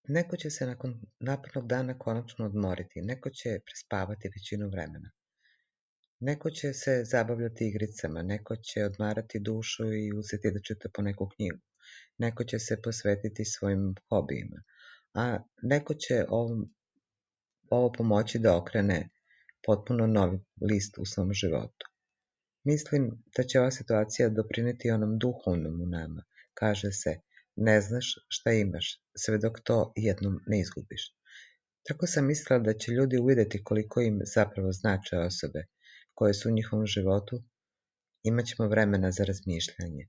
Neko će se nakon napornog dana konačno odmoriti, neko će prespavati većinu vremena. Neko će se zabavljati igricama, neko će odmarati dušu i uzeti da čita po neku knjigu. Neko će se posvetiti svojim hobijima, a neko će ovo pomoći da okrene potpuno novi list u svom životu. Mislim da će ova situacija doprineti onom duhovnom u nama. Kaže se, ne znaš šta imaš, sve dok to jednom ne izgubiš. Tako sam mislila da će ljudi uvideti koliko im zapravo znače osobe koje su u njihovom životu. Imaćemo vremena za razmišljanje.